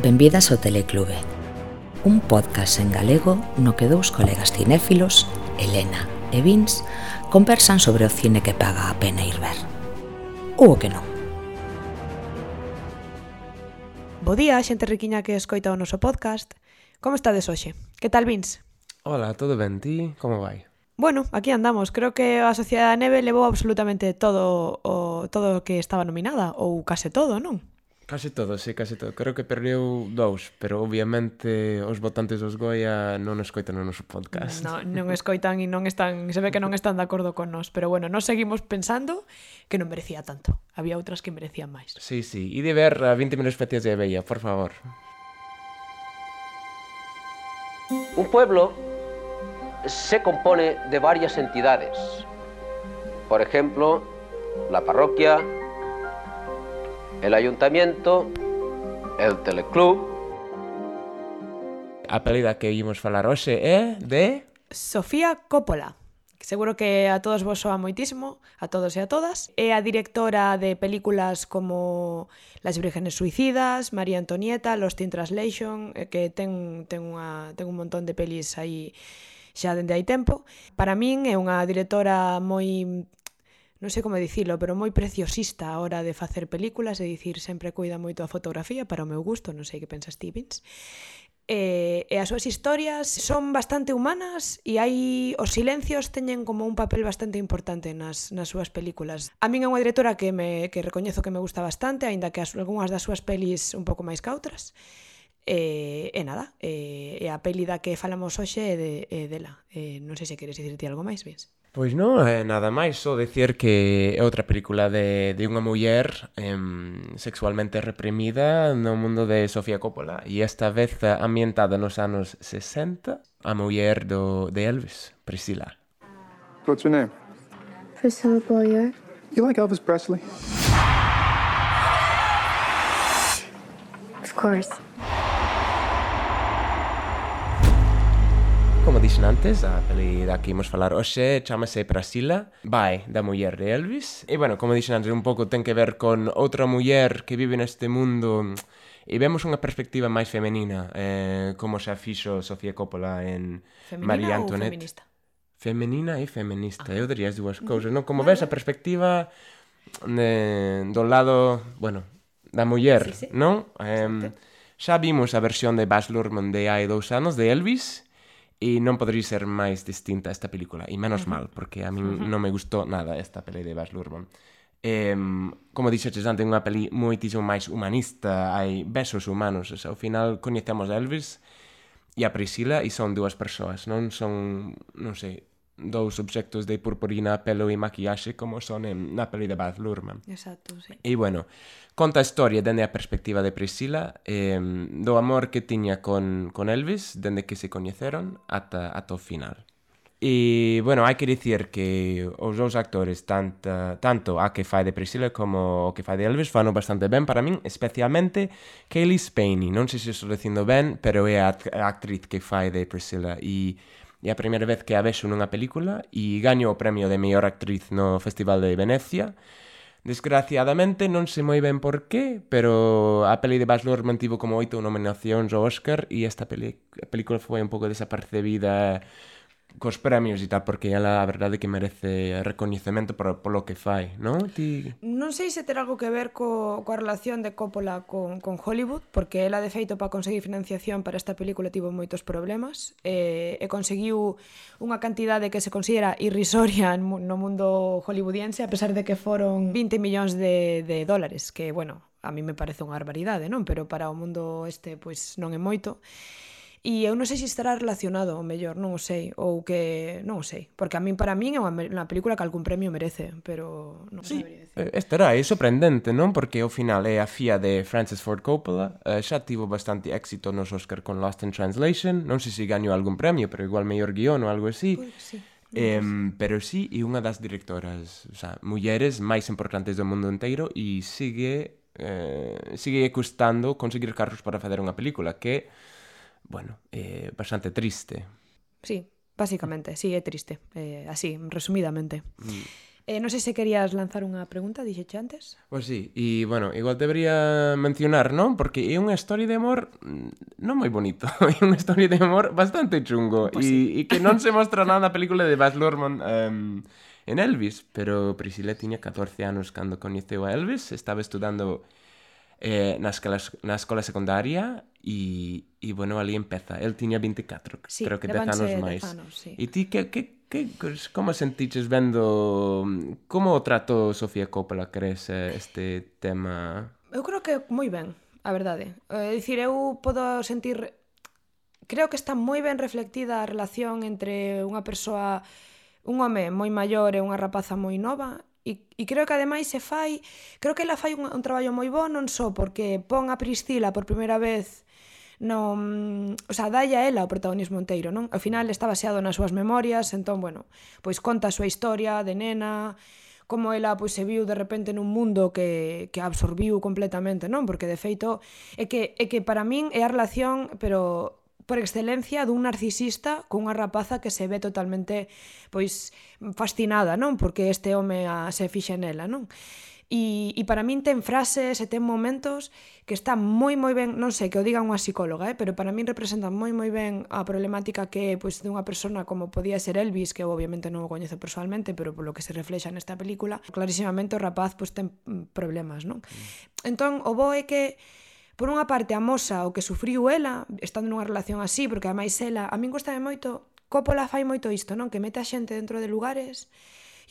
Benvidas ao Teleclube, un podcast en galego no que dous colegas cinéfilos, Elena e Vince, conversan sobre o cine que paga a pena ir ver. Ou o que non. Bo día, xente riquiña que escoita o noso podcast. Como estades hoxe? Que tal, Vince? Hola, todo ben? Ti? Como vai? Bueno, aquí andamos. Creo que a Sociedade da Neve levou absolutamente todo o que estaba nominada, ou case todo, non? Case todo, sí, case todo. Creo que perdeu dous, pero obviamente os votantes dos Goya non escoitan o noso podcast. Non escoitan e non están, se ve que non están de acordo con nós, pero bueno, nós seguimos pensando que non merecía tanto. Había outras que merecían máis. Sí, sí. E de ver a 20 minutos fetias de Abella, por favor. Un pueblo se compone de varias entidades. Por ejemplo, la parroquia, el ayuntamiento, el teleclub. A peli da que ímos falar hoxe é de... Sofía Coppola, que seguro que a todos vos soa moitísimo, a todos e a todas. É a directora de películas como Las Vírgenes Suicidas, María Antonieta, Lost in Translation, que ten un montón de pelis aí xa dende hai tempo. Para min é unha directora moi... non sei como dicilo, pero moi preciosista a hora de facer películas, é dicir, sempre cuida moito a fotografía para o meu gusto, non sei que pensas ti, Vince. E as súas historias son bastante humanas e hai os silencios teñen como un papel bastante importante nas súas películas. A min é unha directora que recoñezo que me gusta bastante, aínda que algunhas das súas pelis un pouco máis cautras. E nada, a peli da que falamos hoxe é dela. Non sei se queres dicirte algo máis, Vince. Pois non, nada máis, só decir que é outra película de unha muller sexualmente reprimida no mundo de Sofía Coppola e esta vez ambientada nos anos 60, a muller de Elvis, Priscilla. What's your name? Priscilla Beaulieu. You like Elvis Presley? Of course. Como dixen antes, a peli da que imos falar hoxe chamase Priscilla, vai da muller de Elvis. E, bueno, como dixen antes, un pouco ten que ver con outra muller que vive neste mundo e vemos unha perspectiva máis femenina, como xa fixo Sofía Coppola en María Antonieta. Feminista? Femenina e feminista, eu diría as dúas cousas, non? Como ves a perspectiva do lado, bueno, da muller, sí. non? Xa vimos a versión de Baz Luhrmann de hai 2 anos, de Elvis, e non podría ser máis distinta esta película, e menos mal, porque a min non me gustou nada esta peli de Baz Luhrmann. Como dixeches antes, unha peli moitísimo máis humanista, hai besos humanos, ao final coñecemos a Elvis e a Priscilla e son dúas persoas, non son, non sei, dous obxectos de purpurina, pelo e maquillaxe como son na peli de Baz Luhrmann. Exacto, sí. E, bueno, conta a historia dende a perspectiva de Priscilla, do amor que tiña con Elvis, dende que se coñeceron ata o final. E, bueno, hai que dicir que os dous actores, tanto a que fai de Priscilla como o que fai de Elvis, fano bastante ben para min, especialmente Cailee Spaeny. Non sei se estou dicindo ben, pero é a actriz que fai de Priscilla e é a primeira vez que a vexo nunha película e gaño o premio de mellor actriz no Festival de Venecia. Desgraciadamente, non sei moi ben por qué, pero a peli de Baz Luhrmann tivo como 8 nominacións ao Oscar e esta película foi un pouco desapercebida cos premios e tal, porque ela a verdade que merece recoñecemento polo que fai, non? Non sei se ter algo que ver coa relación de Coppola con Hollywood, porque ela de feito para conseguir financiación para esta película tivo moitos problemas e conseguiu unha cantidade que se considera irrisoria no mundo hollywoodiense, a pesar de que foron 20 millóns de dólares, que, bueno, a mí me parece unha barbaridade, non? Pero para o mundo pois non é moito. E eu non sei se estará relacionado, ou mellor, non o sei, ou que... non o sei, porque para min é unha película que algún premio merece, pero non sí, sabería decir. Estará, é sorprendente, non? Porque ao final é a fía de Francis Ford Coppola, xa tivo bastante éxito nos Oscar con Lost in Translation, non sei se gañou algún premio, pero igual mellor guión ou algo así. Sí. Pero sí, é unha das directoras, o sea, mulleres máis importantes do mundo inteiro e sigue custando conseguir carros para facer unha película que, bueno, é bastante triste. Sí, básicamente, sí, é triste, así, resumidamente. Non sei se querías lanzar unha pregunta, dixeche antes. Pois sí, e, bueno, igual debería mencionar, non? Porque é unha historia de amor non moi bonito. É unha historia de amor bastante chungo. Pois sí. E que non se mostra nada na película de Baz Luhrmann en Elvis. Pero Priscilla tiña 14 anos cando coñeceu a Elvis. Estaba estudando na escola secundaria e, bueno, ali empeza. El tiña 24, Sí, creo que 10 anos máis. Sí. E ti, como sentiches vendo como tratou Sofía Coppola, crees, este tema? Eu creo que moi ben, a verdade. É dicir, eu podo sentir... Creo que está moi ben reflectida a relación entre unha persoa, un home moi maior e unha rapaza moi nova, e creo que ademais se fai... Creo que ela fai un traballo moi bo, non só porque pon a Priscila por primeira vez... o sea, dalle a ela o protagonismo inteiro, non? Ao final está baseado nas súas memorias, entón, bueno, pois conta a súa historia de nena, como ela pois se viu de repente nun mundo que absorbiu completamente, non? Porque de feito é que para min é a relación, pero por excelencia dun narcisista cunha rapaza que se ve totalmente pois fascinada, non? Porque este home se fixa nela, non? E para min ten frases e ten momentos que está moi ben, non sei, que o diga unha psicóloga, pero para min representa moi ben a problemática que é pois, dunha persona como podía ser Elvis, que eu obviamente non o coñezo personalmente, pero polo que se reflexa nesta película, clarísimamente o rapaz pois, ten problemas, non? Entón, o bo é que por unha parte amosa o que sufriu ela, estando nunha relación así, porque ademais ela, a min gustame moito, Coppola fai moito isto, non? Que mete a xente dentro de lugares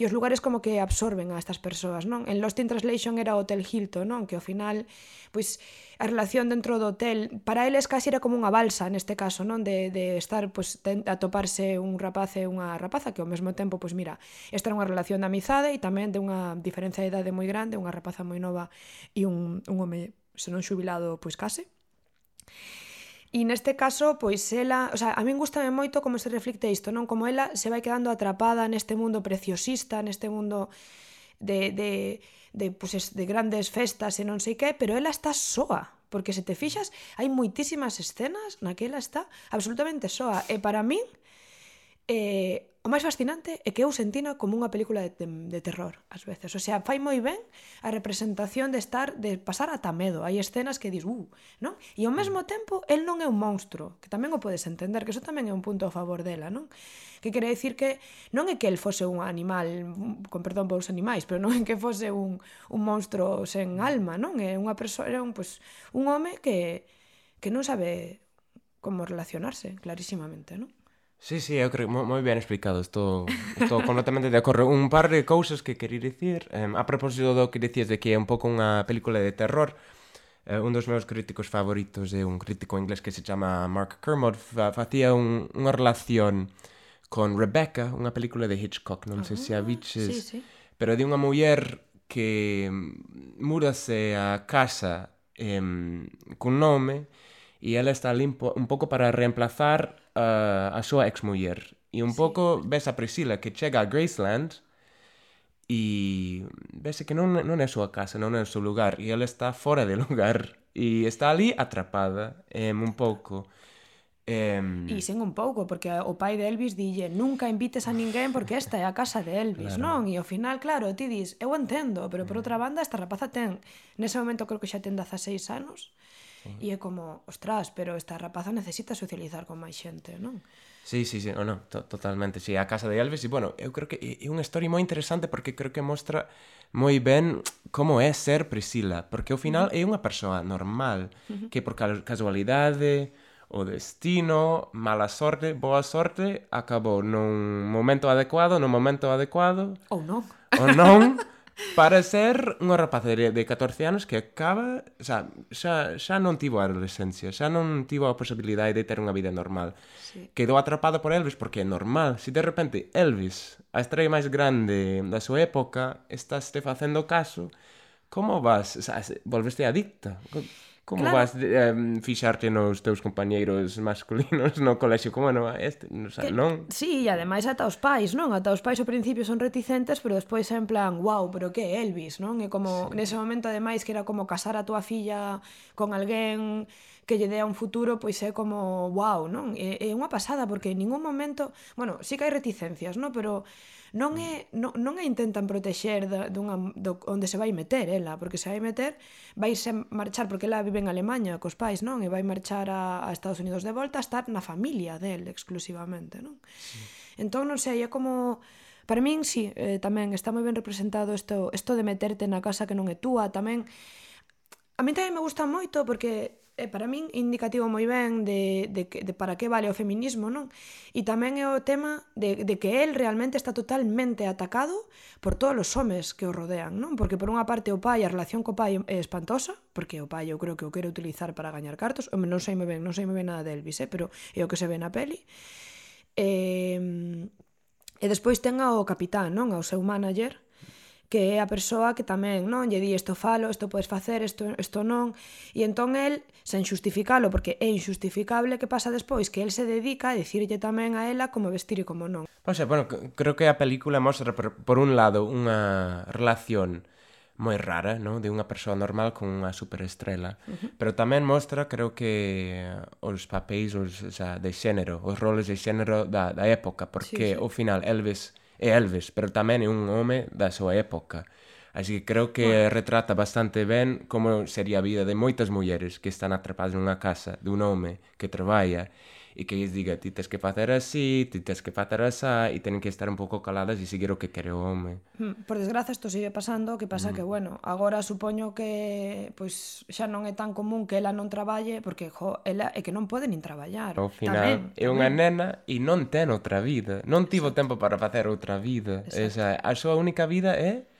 e os lugares como que absorben a estas persoas, non? En Lost in Translation era o Hotel Hilton, non? Que ao final, pois, a relación dentro do hotel, para eles casi era como unha balsa neste caso, non? De estar, pois, a toparse un rapaz e unha rapaza, que ao mesmo tempo, pois mira, esta era unha relación de amizade e tamén de unha diferencia de idade moi grande, unha rapaza moi nova e un home, se non xubilado, pois case. E neste caso, pois ela... O sea, a min gustame moito como se reflicte isto, non? Como ela se vai quedando atrapada neste mundo preciosista, neste mundo de grandes festas e non sei que, pero ela está soa. Porque se te fixas, hai moitísimas escenas na que ela está absolutamente soa. E para min, o máis fascinante é que eu sentina como unha película de terror, ás veces. O sea, fai moi ben a representación de pasar ata medo. Hai escenas que dis, non? E ao mesmo tempo, el non é un monstro, que tamén o podes entender, que eso tamén é un punto a favor dela, non? Que quere dicir que non é que el fose un animal, con perdón por os animais, pero non é que fose un monstro sen alma, non? É unha persoa, era un home que non sabe como relacionarse, clarísimamente, non? Sí, eu creo moi ben explicado. Estou completamente de acordo. Un par de cousas que quería dicir a propósito do que dicías de que é un pouco unha película de terror. Un dos meus críticos favoritos é un crítico inglés que se chama Mark Kermode. Facía unha relación con Rebecca, unha película de Hitchcock, non sei se a viches, sí. pero de unha muller que múdase a casa cun nome e ela está ali un pouco para reemplazar a súa exmuller. E un pouco ves a Priscilla que chega a Graceland e vese que non é a súa casa, non é o seu lugar, e ela está fora de lugar e está ali atrapada un pouco. E sen un pouco, porque o pai de Elvis dille nunca invites a ninguén porque esta é a casa de Elvis, claro. Non? E ao final, claro, ti dis, eu entendo, pero por outra banda esta rapaza nese momento creo que xa ten 16 anos. E é como, ostras, pero esta rapaza necesita socializar con máis xente, non? Sí, totalmente. Sí, a casa de Elvis, e, bueno, eu creo que é unha historia moi interesante porque creo que mostra moi ben como é ser Priscilla, porque ao final é unha persoa normal, que por casualidade, o destino, mala sorte, boa sorte, acabou nun momento adecuado, Ou non. para ser unha rapaza de 14 anos que acaba, xa non tivo a adolescencia, xa non tivo a posibilidade de ter unha vida normal. Sí. Quedou atrapada por Elvis porque é normal. Se de repente Elvis, a estrella máis grande da súa época, estás te facendo caso, como vas? Volveste adicta. Como Claro. vas fixarte nos teus compañeiros masculinos no colexio? Como non? Non? Sí, e ademais ata os pais, non? Ata os pais ao principio son reticentes, pero despois é en plan, wow, pero que é Elvis, non? É como, nese momento ademais que era como casar a túa filla con alguén que lle dea un futuro, pois é como, wow, non? É unha pasada, porque en ningún momento, bueno, sí que hai reticencias, non? Pero non a intentan protexer onde se vai meter ela, porque se vai meter vaise marchar, porque ela vive en Alemanha cos pais, non? E vai marchar a Estados Unidos de volta a estar na familia del exclusivamente, non? Sí. Entón, non sei, é como... Para min, sí, tamén está moi ben representado isto de meterte na casa que non é túa, tamén... A mí tamén me gusta moito porque para min indicativo moi ben de para que vale o feminismo, non? E tamén é o tema de que el realmente está totalmente atacado por todos os homes que o rodean, non? Porque por unha parte o pai, a relación co pai é espantosa, porque o pai eu creo que o quere utilizar para gañar cartos, non sei moi ben nada de Elvis, pero é o que se ve na peli. E despois ten ao capitán, non? Ao seu manager, que é a persoa que tamén, non, lle di isto falo, isto podes facer, isto non, e entón el, sen xustificalo, porque é injustificable, que pasa despois? Que el se dedica a dicirlle tamén a ela como vestir e como non. O sea, bueno, creo que a película mostra, por un lado, unha relación moi rara, non? De unha persoa normal con unha superestrela, pero tamén mostra, creo que, os papéis o sea, de xénero, os roles de xénero da época, porque ao final Elvis é Elvis, pero tamén é un home da súa época. Así que creo que retrata bastante ben como sería a vida de moitas mulleres que están atrapadas nunha casa dun home que traballa e que lles diga ti tes que facer así, ti tes que facer asá, e tenen que estar un pouco caladas e seguir o que quere o home. Por desgraza, isto sigue pasando, que pasa que, bueno, agora supoño que pois xa non é tan común que ela non traballe, porque, ela é que non pode nin traballar. Ao final, é unha nena e non ten outra vida. Non tivo tempo para facer outra vida. Esa, a súa única vida é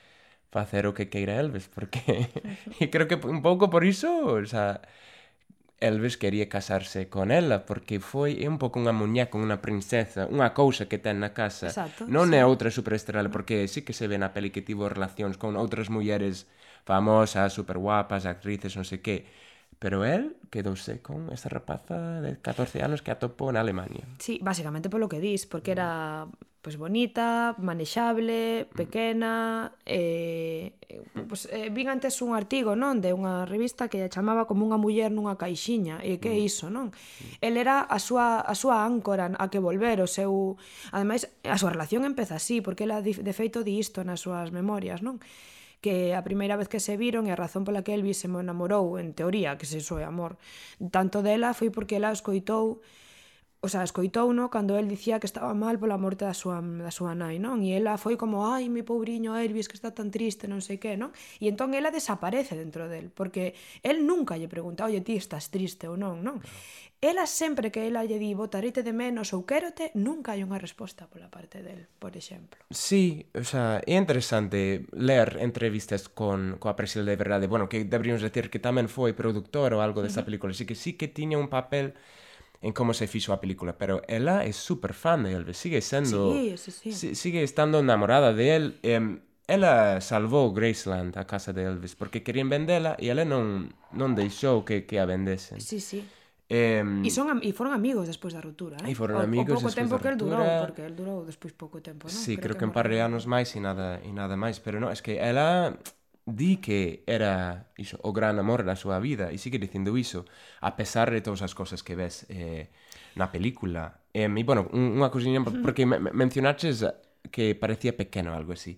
facer o que queira Elvis, porque... E creo que un pouco por iso, o sea... Elvis quería casarse con ela porque é un pouco unha muñeca, unha princesa, unha cousa que ten na casa. Exacto, non é outra superestrela, porque sí que se ve na peli que tivo relacións con outras mulleres famosas, super guapas, actrices, non sei que. Pero él quedouse con esa rapaza de 14 anos que atopou na Alemania. Sí, básicamente polo que dis, porque era pues bonita, manexable, pequena, vin antes un artigo, non, de unha revista que chamaba como unha muller nunha caixiña, e que é iso, non? El era a súa áncora a que volver, o seu... Ademais, a súa relación empeza así, porque ela de feito di isto nas súas memorias, non? Que a primeira vez que se viron e a razón pola que Elvis se enamorou, en teoría, que se iso é amor, tanto dela foi porque ela escoitou no cando el dicía que estaba mal pola morte da súa nai, non? E ela foi como, ai, mi pobriño Elvis, que está tan triste, non sei que, non? E entón ela desaparece dentro del, porque el nunca lle pregunta, oye, ti estás triste ou non, non? Ela sempre que ela lle di, botarete de menos ou quérote, nunca hai unha resposta pola parte del, por exemplo. Sí, o sea, é interesante ler entrevistas coa Priscilla de verdade, bueno, que deberíamos decir que tamén foi productor ou algo desta película, así que sí que tiña un papel en como se fixo a película, pero ela é super fan de Elvis, sigue sendo... Sí. Sigue estando enamorada de él. Ela salvou Graceland, a casa de Elvis, porque querían vendela e ela non deixou que a vendesen. Sí. E foron amigos despois da ruptura, E foron amigos despois da ruptura. O pouco tempo que el durou, porque el durou despois pouco tempo, non? Sí, creo que un par de anos máis e nada máis, pero non, es que ela... di que era iso, o gran amor da súa vida e sigue dicindo iso a pesar de todas as cosas que ves na película. E, bueno, unha cousinha, porque mencionaches que parecía pequeno, algo así.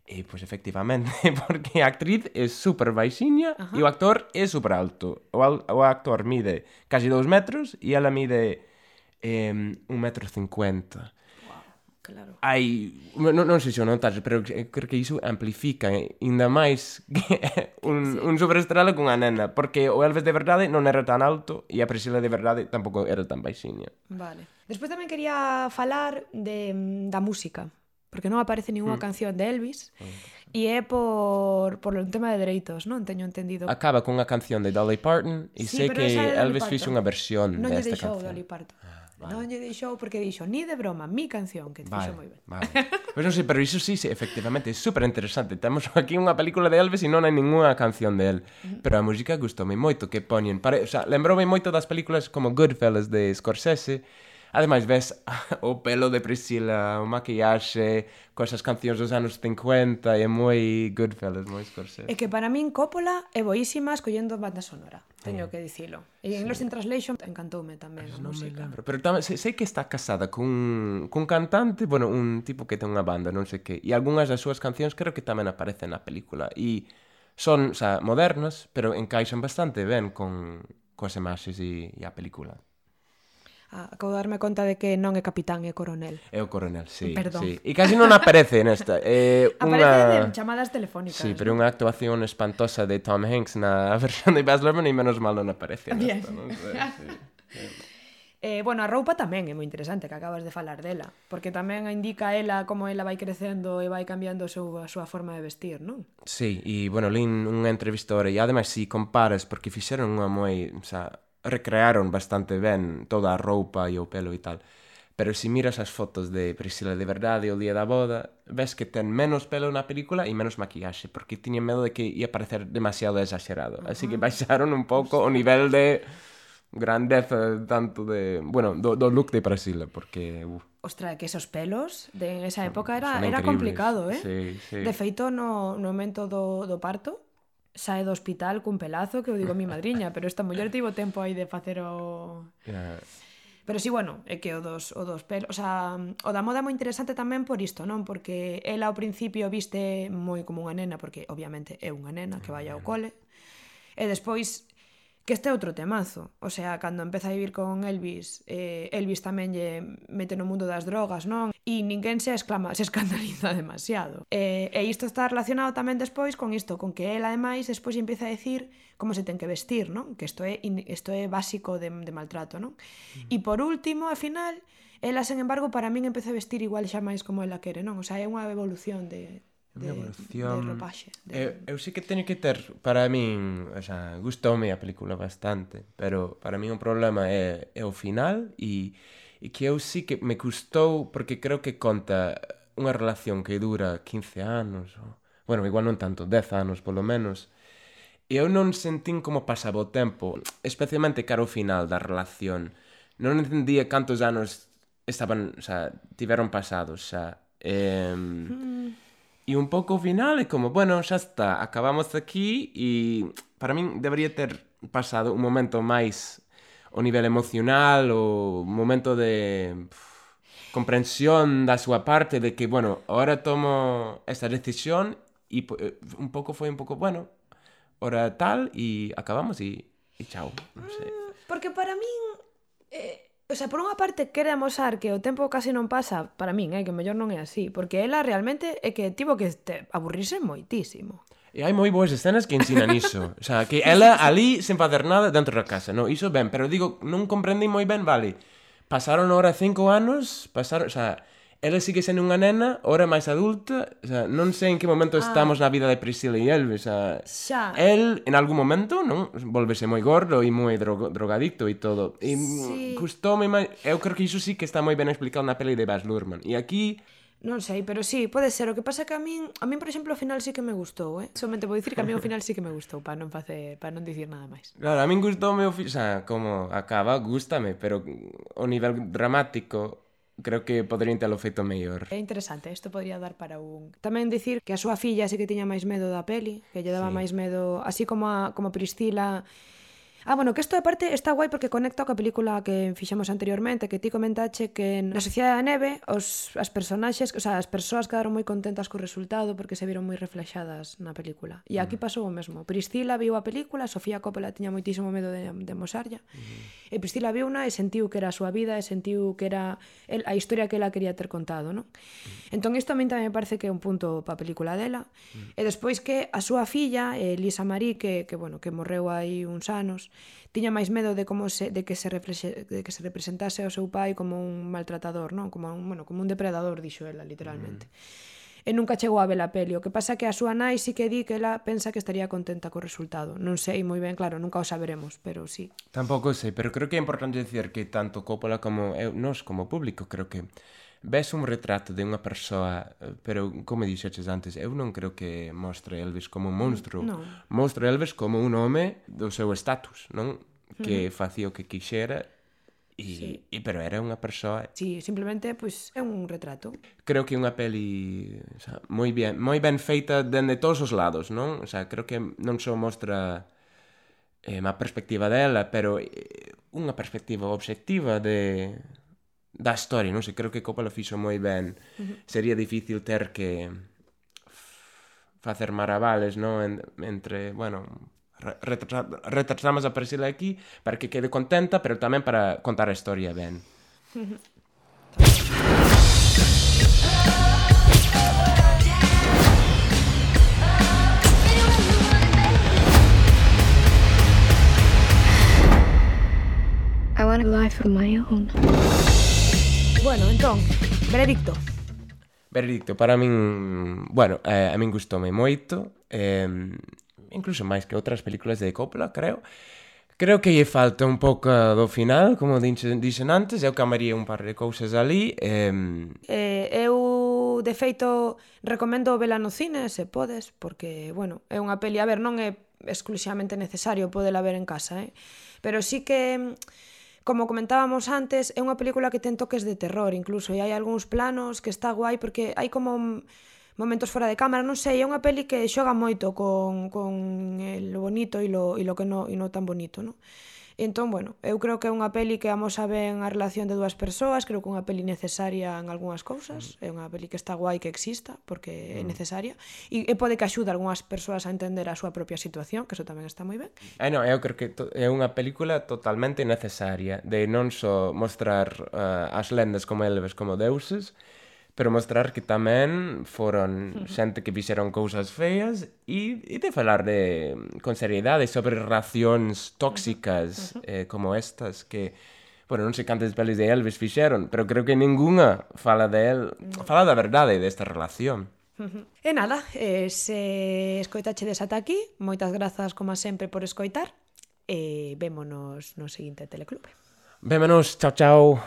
E, pois, efectivamente, porque a actriz é super baixiña e o actor é super alto. O actor mide casi 2 metros e ela mide 1,50 m. Claro. Non sei se o notas, pero creo que iso amplifica ainda máis que un superestrela cunha nena, porque o Elvis de verdade non era tan alto e a Priscilla de verdade tampouco era tan baixiña. Vale. Despois tamén quería falar da música, porque non aparece ninguna canción de Elvis e é por un tema de dereitos, non teño entendido. Acaba con unha canción de Dolly Parton e sei que Elvis fixo unha versión desta canción. Non lle deixou Dolly Parton. Non lle deixou porque dixo, ni de broma, mi canción, que te fixo moi ben. Vale. Pois non sei, pero iso sí, efectivamente, é super interesante. Temos aquí unha película de Elvis e non hai ninguna canción de él. Pero a música gustoume moito que poñen. O sea, lembroume moito das películas como Goodfellas de Scorsese. Ademais, ves o pelo de Priscila, o maquillaxe, coas cancións dos anos 50, é moi Goodfellas, moi Scorsese. É que para min Coppola é boísima escollendo banda sonora, teño que dicilo. E en Lost in Translation encantoume tamén a música. Pero tamén, sei que está casada cun cantante, bueno, un tipo que ten unha banda, non sei que, e algunhas das súas cancións creo que tamén aparecen na película, e son, modernas, pero encaixan bastante ben coas imaxes e a película. Acabo de darme conta de que non é capitán, é coronel. É o coronel, sí. Perdón. Sí. E casi non aparece nesta. Aparece en chamadas telefónicas. Sí, pero unha actuación espantosa de Tom Hanks na versión de Baz Luhrmann e menos mal non aparece nesta, non sei. Sí. Bueno, a roupa tamén é moi interesante, que acabas de falar dela, porque tamén indica ela como ela vai crecendo e vai cambiando a súa forma de vestir, non? Sí, e, bueno, lín unha entrevistora e, ademais, si comparas, porque fixeron unha moi, recrearon bastante ben toda a roupa e o pelo e tal, pero se miras as fotos de Priscila de verdade o día da boda, ves que ten menos pelo na película e menos maquillaxe, porque tiñen medo de que ia parecer demasiado exagerado, así que baixaron un pouco o nivel de grandeza tanto de, bueno, do look de Priscila, porque Ostra, que esos pelos de esa época era increíbles. complicado, Sí, sí. De feito, no momento do parto, sae do hospital cun pelazo que eu digo mi madriña, pero esta muller tivo tempo aí de facer o... Yeah. Pero sí, bueno, é que o dos pelos... O sea, o da moda é moi interesante tamén por isto, non? Porque ela ao principio viste moi como unha nena, porque obviamente é unha nena que vai ao cole, e despois que este é outro temazo. O sea, cando empeza a vivir con Elvis, Elvis tamén lle mete no mundo das drogas, non? E ninguén se escandaliza demasiado. E isto está relacionado tamén despois con isto, con que ela, ademais, despois empieza a decir como se ten que vestir, non? Que isto é básico de maltrato, non? E por último, ao final, ela, sen embargo, para min empeza a vestir igual xa máis como ela quere, non? O sea, é unha evolución de ropaxe. Eu sí que teño que ter, para min, gustoume a película bastante, pero para min o problema é o final e que eu sí que me custou, porque creo que conta unha relación que dura 15 anos, bueno, igual non tanto, 10 anos polo menos, e eu non sentín como pasaba o tempo, especialmente cara ao final da relación. Non entendía cantos anos tiveron pasados, E un pouco ao final é como, bueno, xa está, acabamos aquí e para min debería ter pasado un momento máis ao nivel emocional, o momento de comprensión da súa parte de que, bueno, ahora tomo esta decisión e un pouco foi un pouco, bueno, ahora tal e acabamos e chao, non sei. Porque para min... O sea, por unha parte quere amosar que o tempo casi non pasa, para min, que mellor non é así, porque ela realmente é que tivo que aburrirse moitísimo. E hai moi boas escenas que ensinan iso. O sea, que ela ali sen facer nada dentro da casa, no? Iso ben, pero digo, non comprendi moi ben, vale. Pasaron ahora 5 anos, o sea, ela sigue sendo unha nena, ahora máis adulta, o sea, non sei en que momento estamos na vida de Priscila e Elvis, o sea, xa. El, en algún momento, non? Volvese moi gordo e moi drogadicto e todo. E custoume máis... Eu creo que iso sí que está moi ben explicado na peli de Baz Luhrmann. E aquí... Non sei, pero sí, pode ser. O que pasa é que a min, por exemplo, o final sí que me gustou, Somente vou dicir que a min o final sí que me gustou, para non dicir nada máis. Claro, a min gustoume o final, o sea, como acaba, gústame, pero o nivel dramático... Creo que poderían telo feito mellor. É interesante, isto podría dar para un... Tamén dicir que a súa filla sí que tiña máis medo da peli, que lle daba máis medo, así como Priscila... bueno, que isto aparte está guai porque conecta coa película que fixemos anteriormente, que ti comentache que na Sociedade da Neve as personaxes, o sea, as persoas quedaron moi contentas co resultado porque se viron moi reflexadas na película. E aquí pasou o mesmo. Priscila viu a película, Sofía Coppola tiña moitísimo medo de amosarlla, e Priscila viuna e sentiu que era a súa vida, e sentiu que era a historia que ela quería ter contado, non? Entón isto a min tamén me parece que é un punto pa película dela. E despois que a súa filla, Lisa Marie, que morreu hai uns anos, tiña máis medo de que se representase ao seu pai como un maltratador, non? Como un depredador, dixo ela, literalmente. E nunca chegou a ver a peli. O que pasa que a súa nai sí que di que ela pensa que estaría contenta co resultado. Non sei moi ben, claro, nunca o saberemos, pero sí. Tampouco sei, pero creo que é importante dicir que tanto Coppola como nós como público creo que ves un retrato de unha persoa, pero como dixeches antes, eu non creo que mostre Elvis como un monstro. No. Mostre Elvis como un home do seu status, non? Que facía o que quixera pero era unha persoa. Sí, simplemente, pois, é un retrato. Creo que é unha peli, o sea, moi ben feita dende todos os lados, non? O sea, creo que non só mostra má perspectiva dela, pero unha perspectiva obxectiva da historia, non sei, creo que Coppola fixo moi ben. Sería difícil ter que facer maravales, non? Entre, bueno, retrasamos a Priscila aquí para que quede contenta, pero tamén para contar a historia ben. I want a life of my own. Bueno, entón, veredicto. Veredicto, para min, bueno, a min gustoume moito, incluso máis que outras películas de Coppola, creo. Creo que lle falta un pouco do final, como dixen antes, eu cambiaría un par de cousas ali. Eu, de feito, recomendo vela no cine, se podes, porque, bueno, é unha peli, a ver, non é exclusivamente necesario podela ver en casa, pero sí que, como comentábamos antes, é unha película que ten toques de terror, incluso, e hai algúns planos que está guai, porque hai como momentos fora de cámara, non sei, é unha peli que xoga moito con lo bonito e lo que non tan bonito, non? Entón, bueno, eu creo que é unha peli que amosa ben a relación de dúas persoas, creo que é unha peli necesaria en algunhas cousas, é unha peli que está guai que exista, porque é necesaria, e pode que axude a algunhas persoas a entender a súa propia situación, que eso tamén está moi ben. Non, eu creo que é unha película totalmente necesaria, de non só mostrar as lendas como Elvis como deuses, pero mostrar que tamén foron xente que fixeron cousas feas e de falar con seriedade sobre relacións tóxicas como estas que, bueno, non sei cantas pelis de Elvis fixeron, pero creo que ninguna fala da verdade desta relación. E nada, se escoitachedes ata aquí, moitas grazas como sempre por escoitar e vémonos no seguinte Teleclube. Vémonos, chao, chao.